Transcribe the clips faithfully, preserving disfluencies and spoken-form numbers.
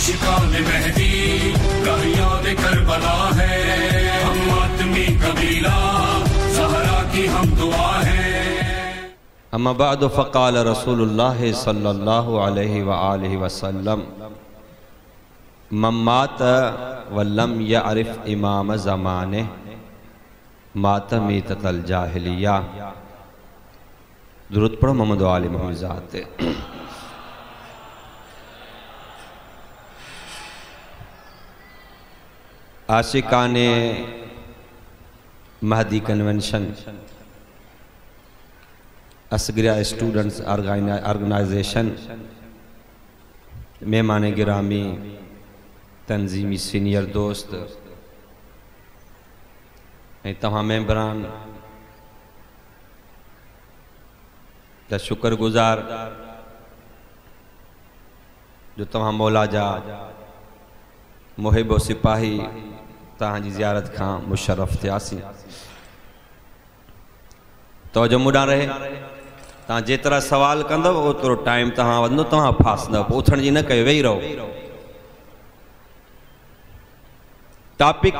आशिकान मेहदी याद करबला है, हम आदमी कबीला ज़हरा की हम दुआ है। अम्मा बाद फ़क़ाल रसूलुल्लाह सल्लल्लाहु अलैहि व आलिहि वसल्लम मम्मात वलम यअरिफ इमाम ज़माने मात मीततल जाहिलिया। दुरूद पढ़ो मोहम्मद व आले मोहम्मद ज़ात। आशिकाने Mehdi convention Asgaria students organisation मेहमान गिरामी तंजीमी सीनियर दोस्त ऐं तव्हां मेंबरान जा शुक्रगुज़ार जो तव्हां मौला जा मुहिब सिपाही तव्हांजी ज़ियारत खां मुशर्रफ थियासीं। तवजो मूं ॾांहुं रहे, तव्हां जेतिरा सवाल कंदव ओतिरो टाइम तव्हां वधंदो, तव्हां फासंदव, पोइ उथण जी न कयो, वेही रहो। टॉपिक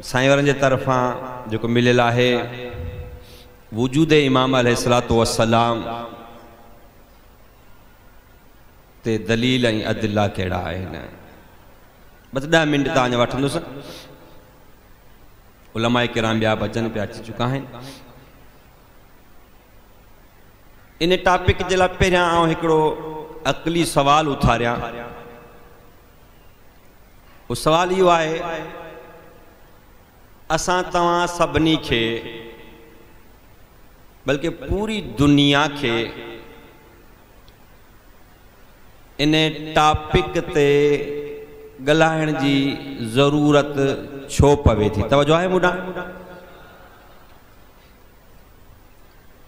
साईं वारनि जे तरफ़ां जेको मिलियल आहे वजूद इमाम अलैहिस्सलातु वस्सलाम ते दलील ऐं अदिला कहिड़ा आहिनि। बसि ॾह मिंट तव्हांजा वठंदुसि। उलमा किराम ॿिया बि अचनि पिया, अची चुका आहिनि। इन टॉपिक जे लाइ पहिरियां आउं हिकिड़ो अक़ली सवाल उथारियां। उहो सवाल इहो आहे, असां तव्हां सभिनी खे बल्कि पूरी दुनिया खे इन टॉपिक ते ॻाल्हाइण जी ज़रूरत छो पवे थी? तवजो आहे मूं ॾांहुं?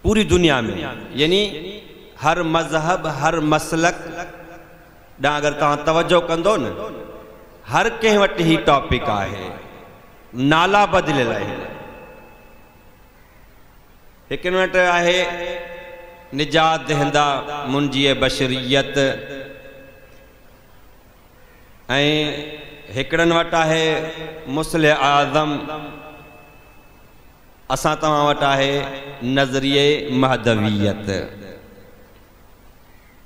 पूरी दुनिया में यानी हर मज़हब हर मसलक ॾांहुं अगरि तव्हां तवजो कंदो न, हर कंहिं वटि ही टॉपिक आहे, नाला बदिलियल आहिनि। हिकिड़े वटि आहे निजात दहिंदा मुंहिंजी बशरियत, ऐं हिकिड़नि वटि आहे मुस्लिह आज़म, असां तव्हां वटि आहे नज़रिए महदवियत।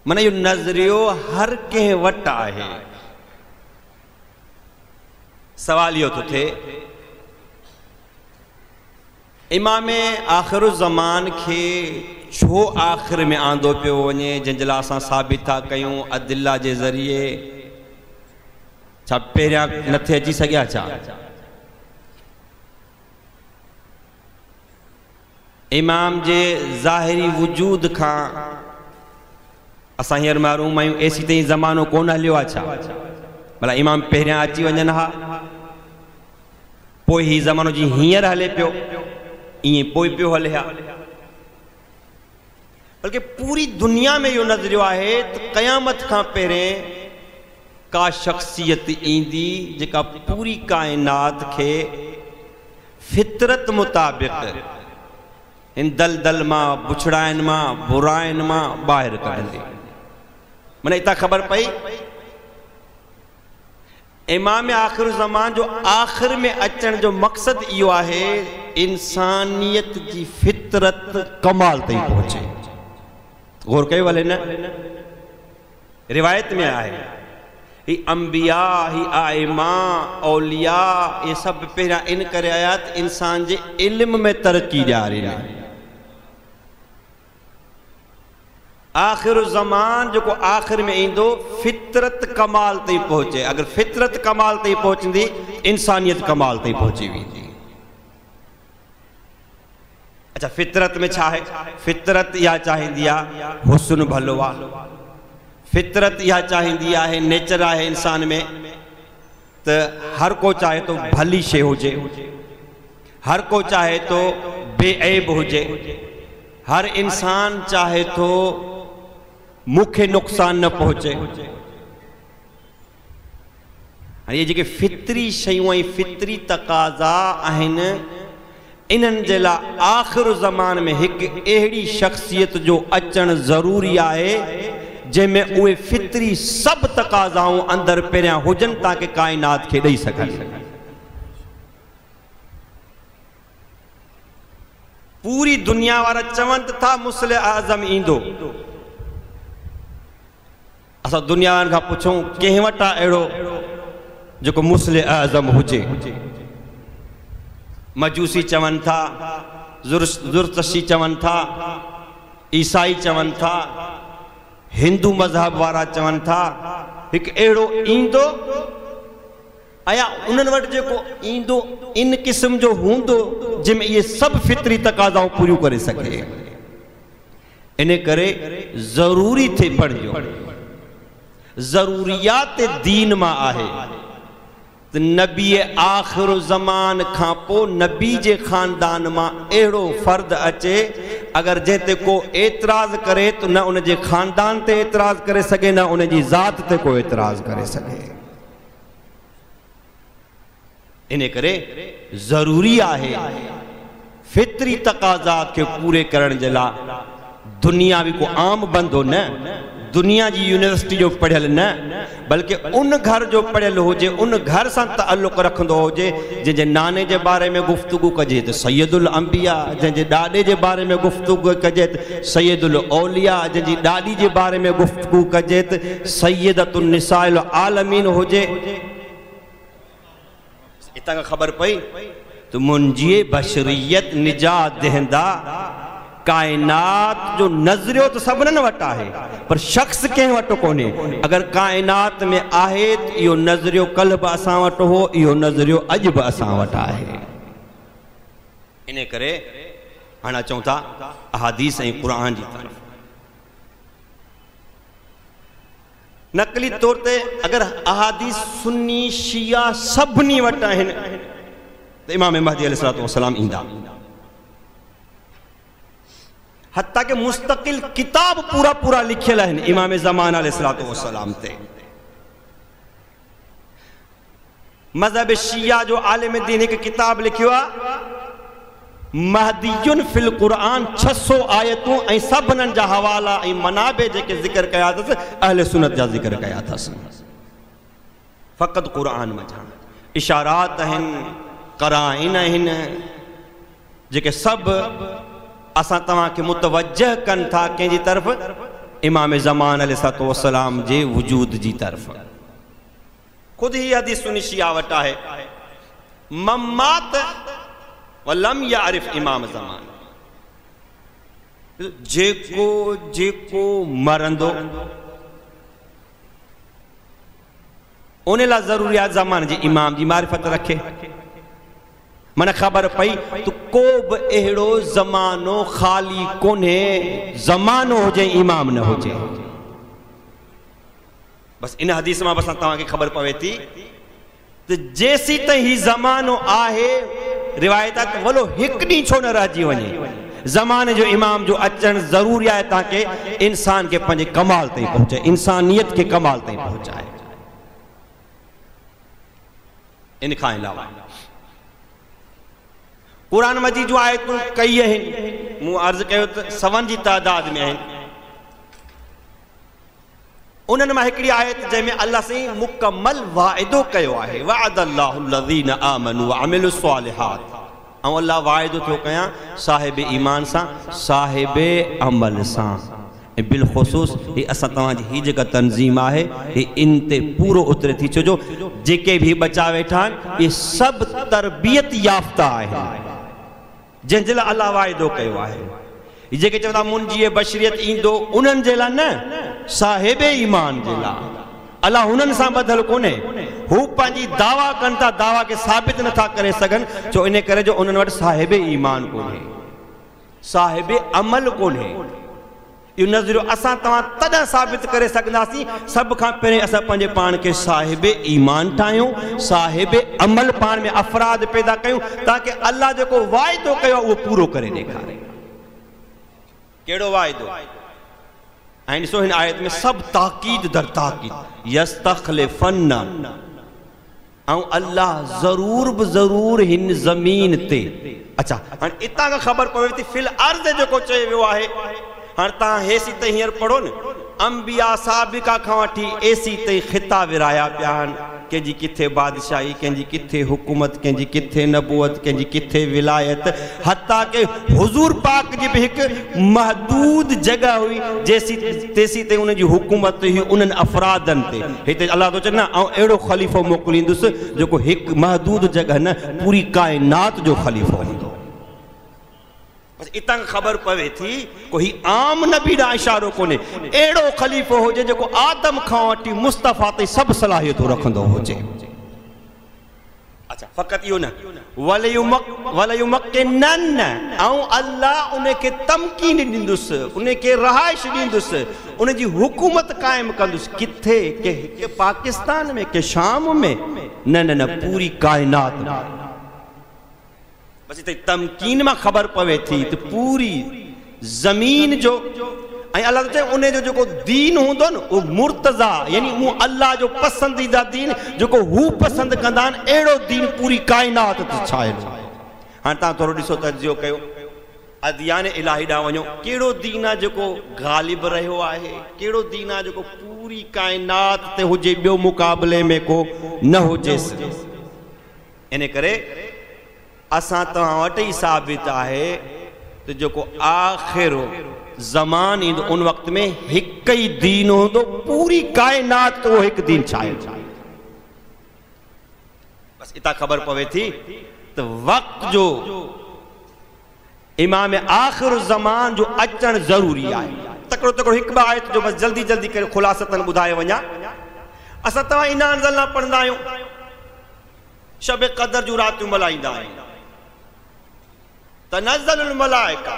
माना इहो नज़रियो हर कंहिं वटि आहे। सवाल इहो थो थिए, इमाम आख़िर ज़मान खे छो आख़िर में आंदो पियो वञे, जंहिंजे लाइ असां साबित था कयूं अदिला जे ज़रिए? छा पहिरियां नथे अची सघिया छा? इमाम जे ज़ाहिरी वजूद खां असां हींअर महरूम आहियूं, एसी ताईं ज़मानो कोन हलियो आहे छा? भला इमाम पहिरियां अची वञनि हा, पोइ हीउ ज़मानो जीअं हींअर हले पियो ईअं पोइ पियो हले हा। बल्कि पूरी दुनिया में इहो नज़रियो आहे त क़यामत खां पहिरें का शख्सियत ईंदी जेका पूरी काइनात खे फितरत मुताबिक़ इन दलदल मां, बुछड़ाइनि मां, बुराइनि मां ॿाहिरि कढंदी। माना हितां ख़बर पई इमाम आख़िर ज़मान जो आख़िर में अचण जो मक़सदु इहो आहे इंसानियत जी फितरत कमाल ताईं पहुचे। गौर कयो भले न, रिवायत में आहे ही अंबिया ही आइमा औलिया ये सभु पहिरियां इन करे आया त इंसान जे इल्म में तरक़ी ॾियारी। आख़िर ज़मान जेको आख़िर में ईंदो फितरत कमाल ताईं पहुचे। अगरि फितरत कमाल ताईं पहुचंदी इंसानियत कमाल ताईं पहुची वेंदी। अच्छा, फितरत में छा आहे? फितरत इहा चाहींदी आहे हुस्न भलो आहे, फितरत इहा चाहींदी आहे, नेचर आहे इंसान में त हर को चाहे थो भली शइ हुजे, हर को चाहे थो बेऐब हुजे, हर इंसान चाहे थो मूंखे नुक़सान न पहुचे। हाणे इहे जेके फितरी शयूं ऐं फितरी तकाज़ा आहिनि इन्हनि जे लाइ आख़िर ज़मान में हिकु अहिड़ी शख्सियत जो अचणु ज़रूरी आहे जंहिंमें उहे फितरी सभु तक़ाज़ाऊं अंदरि पहिरियां हुजनि ताकी काइनात खे ॾेई सघनि। पूरी दुनिया वारा चवनि त था मुस्लिम आज़म ईंदो। असां दुनिया वारनि खां पुछूं कंहिं वटि आहे अहिड़ो जेको मुस्लिम आज़म हुजे? मजूसी चवनि था, ज़ुरतशी चवनि था, ईसाई चवनि था, हिंदू मज़हब वारा चवनि था, हिकु अहिड़ो ईंदो ऐं उन्हनि वटि जेको ईंदो इन क़िस्म जो हूंदो जंहिंमें इहे सभु फितरी तक़ाज़ाऊं पूरियूं करे सघे। इन करे ज़रूरी थिए पढ़िजो, ज़रूरियात दीन मां आहे त नबी आख़िर ज़मान खां पोइ नबी जे ख़ानदान मां अहिड़ो फ़र्द अचे अगरि जंहिं ते को एतिराज़ करे त न उनजे ख़ानदान ते एतिराज़ करे सघे न उनजी ज़ात ते को एतिराज़ करे सघे। इन करे ज़रूरी आहे फितरी तक़ाज़ात खे पूरे करण जे लाइ दुनिया बि को आम बंदो न, दुनिया जी यूनिवर्सिटी जो पढ़ियल न, बल्कि उन घर जो पढ़ियल हुजे, उन घर सां तालुक़ रखंदो हुजे जंहिंजे नाने जे बारे में गुफ्तगू कजे त सैयदुल अंबिया, जंहिंजे ॾाॾे जे बारे में गुफ्तगू कजे त सैयदुल औलिया, जंहिंजी ॾाॾी जे बारे में गुफ्तगू कजे त सैयदतुन निसाइल आलमीन हुजे। हितां खां ख़बर पई त मुंहिंजी बशरियत निजात दहंदा काइनात जो नज़रियो त सभिनीनि वटि आहे पर शख़्स कंहिं वटि कोन्हे। अगरि काइनात में आहे त इहो नज़रियो कल्ह बि असां वटि हो, इहो नज़रियो अॼु बि असां वटि आहे। इन करे हाणे अचूं था अहादीस ऐं क़ुर जी तरफ़। नक़ली तौर ते अगरि अहादीस सुन्नी शिया सभिनी वटि आहिनि त इमाम महदी अलैहिस्सलातु वस्सलाम ईंदा। हत्ता के मुस्तकिल किताब पूरा पूरा लिखियल आहिनि इमाम ज़मान अलैहिस्सलातु वस्सलाम ते। मज़हब शिया जो आलिम दीन हिकु किताब लिखियो आहे महदीयुन फिल क़ुरान, छह सौ आयतूं ऐं सभिनीनि जा हवाला ऐं मनाबे जेके ज़िक्र कया अथसि अहले सुन्नत जा ज़िक्र कया अथसि। फ़क़ति क़ुरान मंझां इशारात आहिनि, कराइन आहिनि जेके सभु असां तव्हांखे मुतवजह कनि था कंहिंजी तरफ़? इमाम ज़मान अलैहिस्सलातु वस्सलाम जे वजूद जी तरफ़। ख़ुदि ही हदीस सुन्नी शिया वटि आहे, मम्मात वलम यारिफ इमाम ज़मान, जेको जेको मरंदो उन लाइ ज़रूरी आहे ज़मान जे इमाम जी मारिफ़त रखे। माना ख़बर पई त को बि अहिड़ो ज़मानो ख़ाली कोन्हे, ज़मानो हुजे इमाम न हुजे। बसि इन हदीस मां बसि तव्हांखे ख़बर पवे थी त जेसीं ताईं ही ज़मानो आहे, रिवायत आहे त वलो हिकु ॾींहुं छो न रहिजी वञे, ज़माने जो इमाम जो अचणु ज़रूरी आहे ताकी इंसान खे पंहिंजे कमाल ताईं पहुचाए, इंसानियत खे कमाल ताईं पहुचाए। इन खां अलावा क़ुरान मजीद जूं आयतूं कई आहिनि, मूं अर्ज़ु कयो त सवनि जी तादाद में आहिनि। उन्हनि मां हिकिड़ी आयत जंहिंमें अलाह साईं मुकमल वाइदो कयो आहे, वअदल्लाहुल्लज़ीना आमनू वअमिलुस्सालिहात, ऐं अलाह वाइदो थो कयां साहिब ईमान सां साहिब अमल सां। ऐं बिलख़ुसूस हीअ असां तव्हांजी हीअ जेका तंज़ीम आहे हीअ इन ते पूरो उतरे थी, छो जो जेके बि बचा वेठा आहिनि इहे सभु तरबियत याफ़्ता आहिनि जंहिंजे लाइ अलाह वाइदो कयो आहे। जेके चवंदा मुंहिंजी बशरियत ईंदो उन्हनि जे लाइ न, साहिब ईमान जे लाइ। अलाह हुननि सां ॿधल कोन्हे, हू पंहिंजी दावा कनि था, दावा खे साबित नथा करे सघनि, छो इन करे जो उन्हनि वटि साहिब ईमान कोन्हे, साहिब अमल कोन्हे। इहो नज़रियो असां तव्हां तॾहिं साबित करे सघंदासीं, सभ खां पहिरियों असां पंहिंजे पाण खे साहिब ईमान ठाहियूं, साहिब अमल पाण में अफ़राद पैदा कयूं, ताकी अलाह जेको वाइदो कयो आहे उहो पूरो करे ॾेखारे। कहिड़ो वाइदो? ऐं ॾिसो हिन आयत में सभु ताक़ीद दर ताक़ीद, यस्तख़लिफ़न्न, ऐं अलाह ज़रूर बि ज़रूर हिन ज़मीन ते। अच्छा, हाणे हितां खां ख़बर पवे थी फिल अर्ज़ जेको चयो वियो आहे। हाणे तव्हां हेसी ताईं हींअर पढ़ो न, अंबिया साबिका खां वठी एसी ताईं ख़िता विराया पिया आहिनि। कंहिंजी किथे बादशाही, कंहिंजी किथे हुकूमत, कंहिंजी किथे नबूअत, कंहिंजी किथे विलायत, हता के हुज़ूर पाक जी बि हिकु महदूद जॻह हुई जेसी तेसी ताईं उनजी हुकूमत हुई उन्हनि अफ़रादनि ते। हिते अलाह थो चए न आउं अहिड़ो ख़लीफ़ो मोकिलींदुसि जेको हिकु महदूद जॻह न पूरी काइनात जो ख़लीफ़ो हूंदो। बसि इतां ख़बर पवे थी को ही आम नबी ॾांहुं इशारो कोन्हे, अहिड़ो ख़लीफ़ो हुजे जेको आदम खां वठी मुस्तफ़ा ताईं सभु सलाहियतूं रखंदो हुजे। अच्छा फ़क़ति इहो न वलयुमक्किनन ऐं अल्लाह उनखे तमकीन ॾींदुसि, उनखे रहाइश ॾींदुसि, उनजी हुकूमत क़ाइमु कंदुसि। किथे? के पाकिस्तान में, के शाम में? न न न, पूरी काइनात में। बसि हिते तमकीन मां ख़बर पवे थी त पूरी ज़मीन जो ऐं अलाह थो चए उन जो जेको दीन हूंदो न उहो मुर्तज़ा यानी उहो अलाह जो पसंदीदा दीन जेको हू पसंदि कंदा आहिनि अहिड़ो दीन पूरी काइनात ते छायल। हाणे तव्हां थोरो ॾिसो तजियो कयो अदियान इलाही ॾांहुं वञो, कहिड़ो दीन आहे जेको ग़ालिब रहियो आहे, कहिड़ो दीन आहे जेको पूरी काइनात ते हुजे, ॿियो मुक़ाबले में को न हुजेसि। इन करे असां तव्हां वटि ई साबित आहे त जेको आख़िर ज़मान ईंदो उन वक़्त में हिकु ई दीन हूंदो, पूरी काइनात उहो हिकु दीन छायल। बसि इतां ख़बर पवे थी त वक़्त जो इमाम आख़िर ज़मान जो अचणु ज़रूरी आहे। तकिड़ो तकिड़ो हिकु ॿ आयत जो बसि जल्दी जल्दी करे ख़ुलासतन ॿुधाए वञा। असां तव्हां इना अंज़लना पढ़ंदा आहियूं, शब क़दर जूं रातियूं मल्हाईंदा आहियूं। तनज़्ज़लुल मलाइका,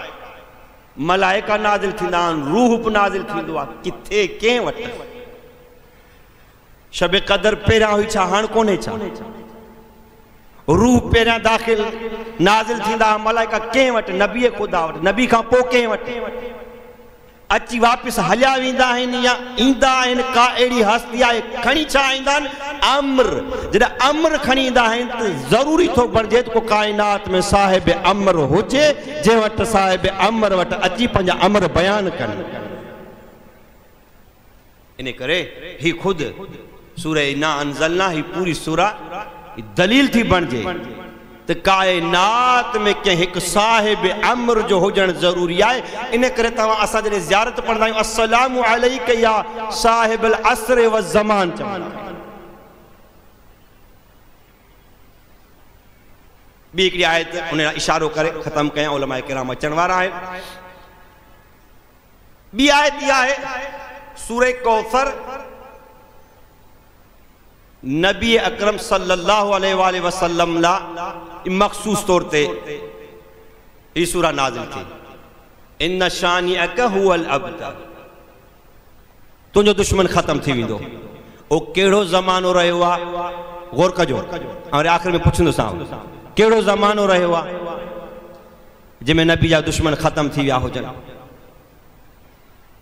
मलाइका नाज़िल थींदा आहिनि, रूह बि नाज़िल थींदो आहे। किथे कंहिं वटि? शब क़दर पहिरियां हुई छा, हाणे कोन्हे छा? रूह पहिरियां दाख़िल नाज़िल थींदा, मलाइका कंहिं वटि? नबी ख़ुदा वटि। नबी खां पोइ कंहिं वटि? अची वापसि हलिया वेंदा आहिनि या ईंदा आहिनि? का अहिड़ी हस्ती आहे खणी छा ईंदा आहिनि? अम्र। जॾहिं अम्र खणी ईंदा आहिनि त ज़रूरी थो बणिजे त को काइनात में साहिब अम्र हुजे जंहिं वटि साहिब अम्र वटि अची पंहिंजा अम्र बयानु कनि। इन करे ही ख़ुदि सूरह इन्ना अंज़लना ही पूरी सूरा दलील थी बणिजे त काइनात में कंहिं हिकु साहिब अम्र जो हुजणु ज़रूरी आहे। इन करे तव्हां असां जॾहिं ज़ियारत पढ़ंदा आहियूं अस्सलामु अलैका या साहिब अल अस्र व ज़मान चवंदा आहियूं। ॿी हिकिड़ी आयत उन इशारो करे ख़तमु कयां, उलमा किराम अचण वारा आहिनि। ॿी आयत इहा आहे सूरह कौसर, नबी अकरम सल्लल्लाहु अलैहि वसल्लम लाइ मख़सूस तौर ते ही सूरा नाज़िल थी। इन्न शानिअक हुवल अबतर, तुंहिंजो दुश्मन ख़तमु थी वेंदो। उहो कहिड़ो ज़मानो रहियो आहे? गौर कजो, ऐं आख़िर में पुछंदोसांव कहिड़ो ज़मानो रहियो आहे जंहिंमें नबी जा दुश्मन ख़तमु थी विया हुजनि?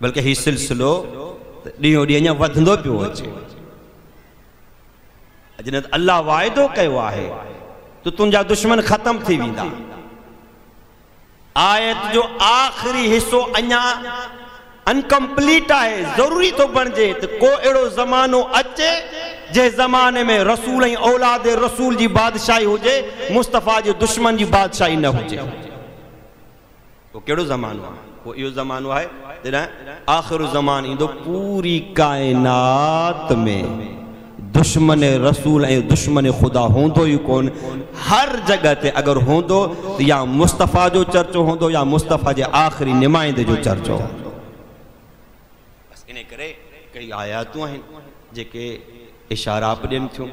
बल्कि हीउ सिलसिलो ॾींहों ॾींहुं अञा वधंदो पियो अचे। जॾहिं अल्लाह वाइदो कयो आहे त तुंहिंजा दुश्मन ख़तमु थी वेंदा। आयत जो आख़िरी हिसो अञा अनकम्प्लीट आहे, ज़रूरी थो बणिजे त को अहिड़ो ज़मानो अचे जंहिं ज़माने में रसूल ऐं औलाद रसूल जी बादशाही हुजे, मुस्तफ़ा जे दुश्मन जी बादशाही न हुजे। उहो कहिड़ो ज़मानो आहे? उहो इहो ज़मानो आहे जॾहिं आख़िर ज़मान ईंदो, पूरी काइनात में दुश्मन रसूल ऐं दुश्मन ख़ुदा हूंदो ई कोन। हर जॻह ते अगरि हूंदो त या मुस्तफ़ा जो चर्चो हूंदो या मुस्तफ़ा जे आख़िरी नुमाइंदे जो चर्चो हूंदो। बसि इन करे कई आयातूं आहिनि जेके इशारा बि ॾियनि थियूं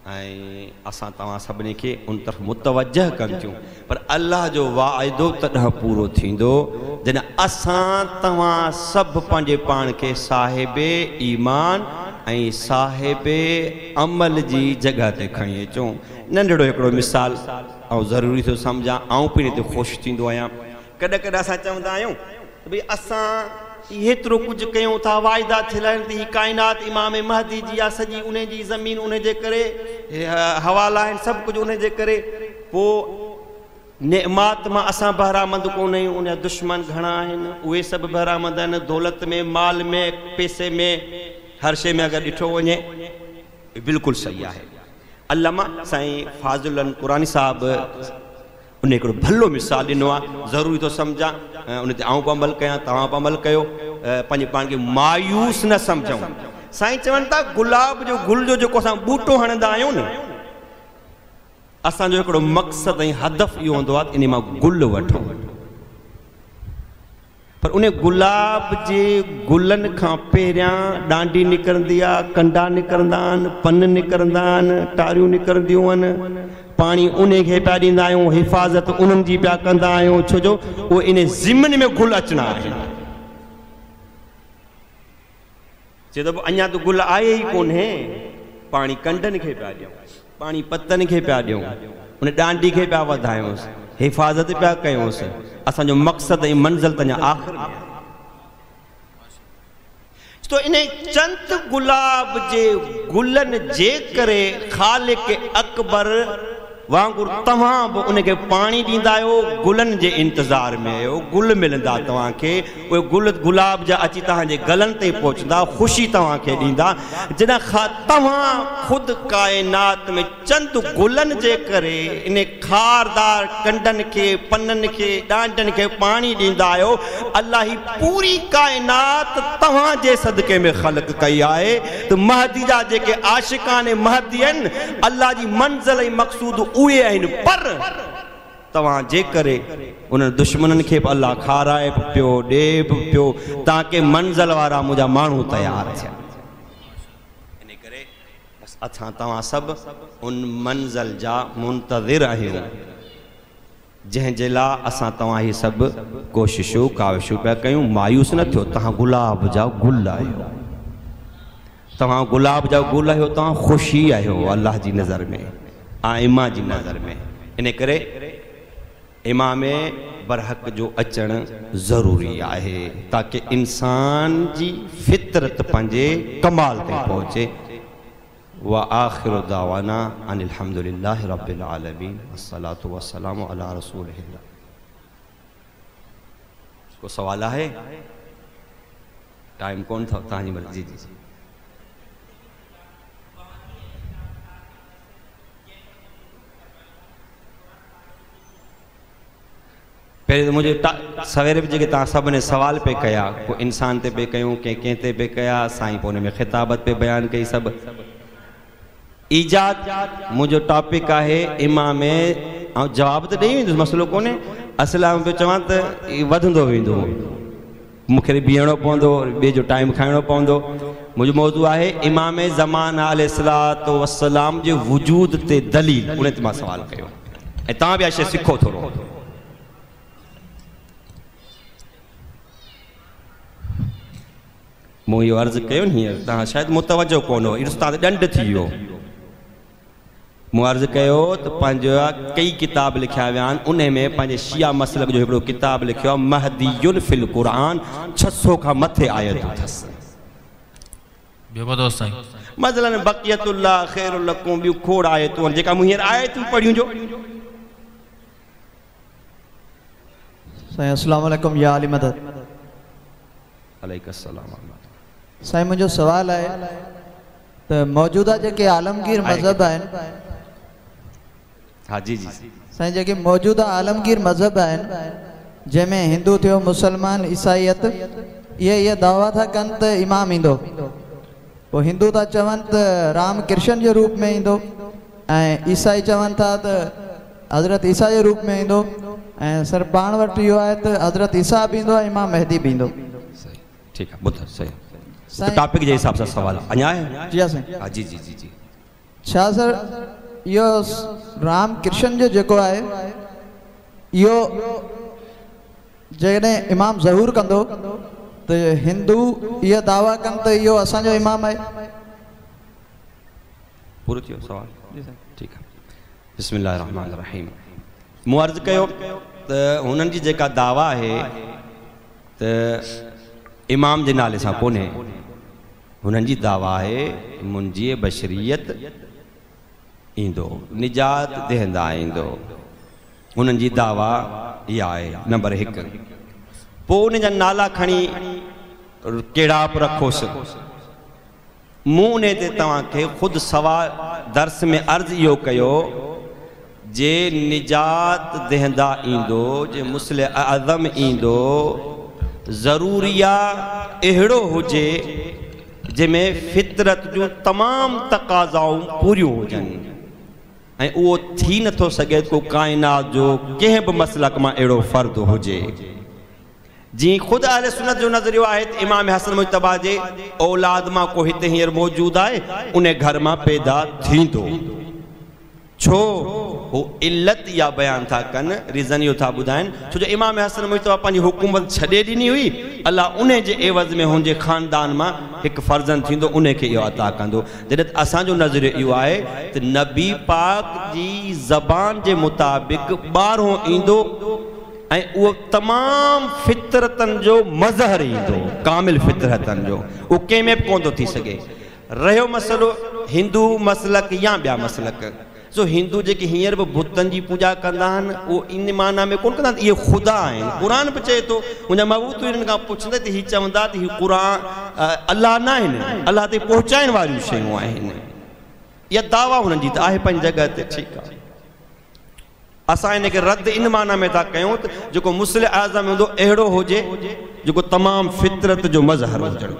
ऐं असां तव्हां सभिनी खे उन तरफ़ मुतवजह कनि थियूं। पर अल्लाह जो वाइदो तॾहिं पूरो थींदो जॾहिं असां तव्हां सभु पंहिंजे पाण खे साहिब ईमान ऐं साहिब अमल जी जॻह ते खणी अचूं। नंढड़ो हिकिड़ो मिसाल ऐं ज़रूरी थो सम्झां, आउं पिणु हिते ख़ुशि थींदो आहियां। कॾहिं कॾहिं असां चवंदा आहियूं त भई असां एतिरो कुझु कयूं था, वाइदा थियल आहिनि त हीअ काइनात इमाम महदी जी आहे, सॼी उन जी ज़मीन उन जे करे, हवाला आहिनि, सभु कुझु उन जे करे। पोइ नेमात मां असां बहरामंद कोन आहियूं, उन जा दुश्मन घणा आहिनि, उहे सभु बहरामंद आहिनि। दौलत में, माल में, पैसे में, हर शइ में अगरि ॾिठो वञे बिल्कुलु सही आहे। अल्लामा साईं फाज़िल कुरानी साहब उन हिकिड़ो भलो मिसाल ॾिनो आहे, ज़रूरी थो सम्झां उन ते आउं बि अमल कयां, तव्हां बि अमल कयो, पंहिंजे पाण खे मायूस न सम्झूं। साईं चवनि था गुलाब जो गुल जो जेको असां ॿूटो हणंदा आहियूं न, असांजो हिकिड़ो मक़सदु ऐं हदफ़ इहो हूंदो आहे त इन मां गुल वठूं, पर उन गुलाब जे गुलनि खां पहिरियां ॾांडी निकिरंदी आहे, कंडा निकिरंदा आहिनि, पन निकिरंदा आहिनि, टारियूं निकिरंदियूं आहिनि, पाणी उन खे पिया ॾींदा आहियूं, हिफाज़त उन्हनि जी पिया कंदा आहियूं, छो जो उहे इन ज़िमन में गुल अचणा आहिनि। चए थो अञा त गुल आहे ई कोन्हे, पाणी कंडनि खे पिया ॾियूं, पाणी पतनि खे पिया ॾियूं, उन ॾांडी खे पिया वधायूंसि, हिफाज़त पिया कयूंसि। असांजो मक़सदु ऐं मंज़िल त अञा आख़िर में आहे। तो इन चंद गुलाब जे गुलनि जे करे ख़ालिक अकबर वांगुरु तव्हां बि उनखे पाणी ॾींदा आहियो, गुलनि जे इंतज़ार में आहियो, गुल मिलंदा तव्हांखे, उहे गुल गुलाब जा अची तव्हांजे गलनि ते पहुचंदा, ख़ुशी तव्हांखे ॾींदा। जॾहिं खां तव्हां ख़ुदि काइनात में चंद गुलनि जे करे इन खारदार कंडनि खे, पननि खे, ॾांडनि खे पाणी ॾींदा आहियो, अलाह ही पूरी काइनात तव्हांजे सदके में ख़लक कई आहे। त महदी जा जेके आशिकान महदी आहिनि, अलाह जी मंज़िल ऐं मक़सूद उहे आहिनि, पर तव्हां जे करे उन्हनि दुश्मननि खे बि अलाह खाराए बि पियो, ॾिए बि पियो, ताकी मंज़िल वारा मुंहिंजा माण्हू तयारु थियनि। इन करे बसि असां तव्हां सभु उन मंज़िल जा मुंतज़िर आहियूं, जंहिंजे लाइ असां तव्हां हीअ सभु कोशिशूं काविशूं पिया कयूं। मायूस न थियो, तव्हां गुलाब जा गुल आहियो, तव्हां गुलाब जा गुल आहियो, तव्हां ख़ुशी आहियो अलाह जी नज़र में, आइमा जी नज़र में। इन करे इमाम बरहक जो अचणु ज़रूरी आहे, ताकि इंसान जी फितरत पंहिंजे कमाल ते पहुचे। व आखिर दावाना अनिल हम्दुलिल्लाहि रब्बिल आलमीन, अस्सलातु वस्सलामु अला रसूलिल्लाह। को सवाल आहे? टाइम कोन था, तव्हांजी मर्ज़ी। जी जी पहिरियों त मुंहिंजो सवेरे बि जेके तव्हां सभिनी सवाल पे कया, को इंसान ते पे कयूं, कंहिं कंहिं ते पे कया, साईं पोइ हुन में ख़िताबत पे बयानु कई। सभु ईजाद मुंहिंजो टॉपिक आहे इमाम, ऐं जवाबु त ॾेई वेंदुसि, मसइलो कोन्हे। असुलु आउं पियो चवां त वधंदो वेंदो, मूंखे बीहणो पवंदो, ॿिए जो टाइम खाइणो पवंदो। मुंहिंजो मौज़ू आहे इमाम ज़मान अलैहिस्सलातु वस्सलाम जे वजूद ते दलील, उन ते मां सवालु कयो ऐं तव्हां बि इहा शइ सिखो थोरो। मूं इहो अर्ज़ु कयो न हींअर, तव्हां शायदि मुतवजो कोन हो, इहो तव्हां ते ॾंड थी वियो। मूं अर्ज़ु कयो त पंहिंजो कई किताब लिखिया विया आहिनि, उन में पंहिंजे शिया मसलक जो हिकिड़ो किताब लिखियो आहे महदीयुन फिल क़ुरान, छह सौ खां मथे आयतूं अथसि। ॿियो ॿुधो साईं, मसलन बक़ियतुल्लाह ख़ैरुल लकुम, ॿियूं खोड़ आयतूं आहिनि जेका मूं हींअर आयतूं पढ़ियूं जो। साईं अस्सलाम वालेकुम या अली मदद। अलैकुम अस्सलाम। साईं मुंहिंजो सवाल आहे त मौजूदा जेके आलमगीर मज़हब आहिनि, हा जी जी साईं जेके मौजूदा आलमगीर मज़हब आहिनि जंहिंमें हिंदू थियो, मुसलमान, ईसाईयत, इहे इहे दावा था कनि त इमाम ईंदो, पोइ हिंदू था चवनि त राम कृष्ण जे रूप में ईंदो, ऐं ईसाई चवनि था त हज़रत ईसा जे रूप में ईंदो, ऐं सर पाण वटि इहो आहे त हज़रत ईसा बि ईंदो ऐं इमाम मेहदी बि ईंदो। सही, ठीकु आहे, ॿुधो सही टॉपिक जे हिसाब सां सवाल अञा आहे। जी हा साईं। हा जी जी जी जी छा सर इहो राम कृष्ण जो जेको आहे इहो जेकॾहिं इमाम ज़हूर कंदो त हिंदू इहा दावा कनि त इहो असांजो इमाम आहे। पूरो थियो सवाल? ठीकु आहे। बिस्मिल्लाह रहमान रहीम। मूं अर्ज़ु कयो त हुननि जी जेका दावा आहे त इमाम जे नाले सां कोन्हे, हुननि जी दावा आहे मुंहिंजी बशरियत ईंदो, निजात दहंदा ईंदो। हुननि जी दावा इहा आहे। नंबर हिकु, पोइ उन जा नाला खणी कहिड़ा बि रखोसि। मूं उन ते तव्हांखे ख़ुदि सवाल दर्स में अर्ज़ इहो कयो, जे निजात दहंदा ईंदो, जे मुस्लिम आज़म ईंदो, ज़रूरी आहे अहिड़ो हुजे जंहिंमें फितरत जूं तमामु तक़ाज़ाऊं पूरियूं हुजनि, ऐं उहो थी नथो सघे को काइनात जो कंहिं बि मसलक मां अहिड़ो फ़र्द हुजे। जीअं ख़ुदि अहले सुन्नत जो नज़रियो आहे त इमाम हसन मुज्तबा जे औलाद मां को हिते हींअर मौजूदु आहे, उन घर मां पैदा थींदो। छो हू इल्लत इहा बयानु था कनि, रीज़न इहो था ॿुधाइनि, छो जो इमाम हसन मुज्तबा पंहिंजी हुकूमत छॾे ॾिनी हुई, अलाह उन जे एवज़ में हुनजे ख़ानदान मां हिकु फ़र्ज़ंद थींदो, उन खे इहो अता कंदो। जॾहिं त असांजो नज़रियो इहो आहे त नबी पाक जी ज़बान जे मुताबिक़ ॿारहों ईंदो ऐं उहो तमामु फितरतनि जो मज़हर ईंदो, कामिल फितरतनि जो, उहो कंहिं में बि कोन थो थी सघे। रहियो मसइलो हिंदू मसलक या ॿिया मसलक, सो हिंदू जेके हींअर बि बुतनि जी पूॼा कंदा आहिनि, उहो इन माना में कोन कंदा आहिनि इहे ख़ुदा आहिनि। क़ुर बि चए थो, हुनजा महबूब हिननि खां पुछंदे त हीअ चवंदा त हीअ क़ुर अलाह न आहिनि, अलाह ते पहुचाइण वारियूं शयूं आहिनि। इहा दावा हुननि जी त आहे पंहिंजी जॻह ते, ठीकु आहे। असां हिनखे रद्द इन माना में था कयूं त जेको मुस्लिम आज़म हूंदो अहिड़ो हुजे जेको तमामु फितरत जो मज़हर हुजणु।